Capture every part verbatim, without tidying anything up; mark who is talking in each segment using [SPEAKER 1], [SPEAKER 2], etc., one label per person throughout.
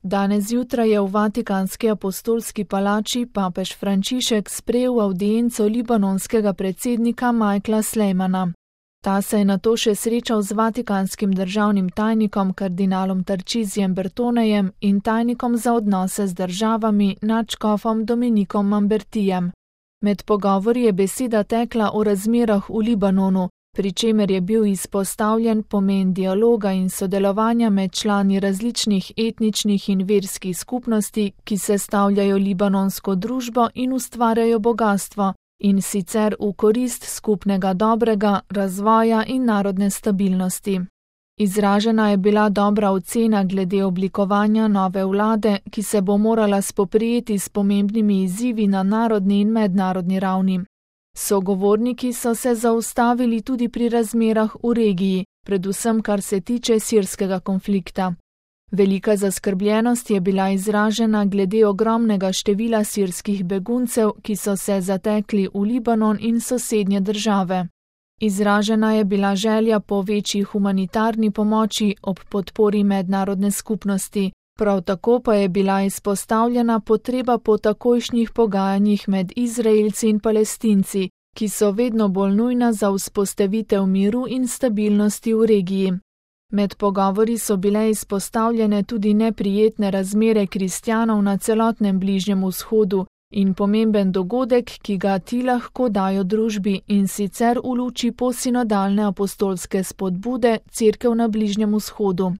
[SPEAKER 1] Danes zjutraj je v Vatikanski apostolski palači papež Frančišek sprejel avdienco libanonskega predsednika Michaela Sleiman. Ta se je nato še srečal z vatikanskim državnim tajnikom kardinalom Tarcisijem Bertonejem in tajnikom za odnose z državami nadškofom Dominikom Mambertijem. Med pogovori je beseda tekla o razmerah v Libanonu, pri čemer je bil izpostavljen pomen dialoga in sodelovanja med člani različnih etničnih in verskih skupnosti, ki sestavljajo libanonsko družbo in ustvarjajo bogastvo, in sicer v korist skupnega dobrega, razvoja in narodne stabilnosti. Izražena je bila dobra ocena glede oblikovanja nove vlade, ki se bo morala spoprijeti s pomembnimi izzivi na narodni in mednarodni ravni. Sogovorniki so se zaustavili tudi pri razmerah v regiji, predvsem kar se tiče sirskega konflikta. Velika zaskrbljenost je bila izražena glede ogromnega števila sirskih beguncev, ki so se zatekli v Libanon in sosednje države. Izražena je bila želja po večji humanitarni pomoči ob podpori mednarodne skupnosti, prav tako pa je bila izpostavljena potreba po takojšnjih pogajanjih med Izraelci in Palestinci, ki so vedno bolj nujna za vzpostavitev miru in stabilnosti v regiji. Med pogovori so bile izpostavljene tudi neprijetne razmere kristjanov na celotnem Bližnjem vzhodu in pomemben dogodek, ki ga ti lahko dajo družbi, in sicer v luči posinodalne apostolske spodbude Cerkev na Bližnjem vzhodu.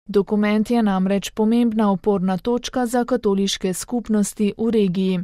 [SPEAKER 1] Dokument je namreč pomembna oporna točka za katoliške skupnosti v regiji.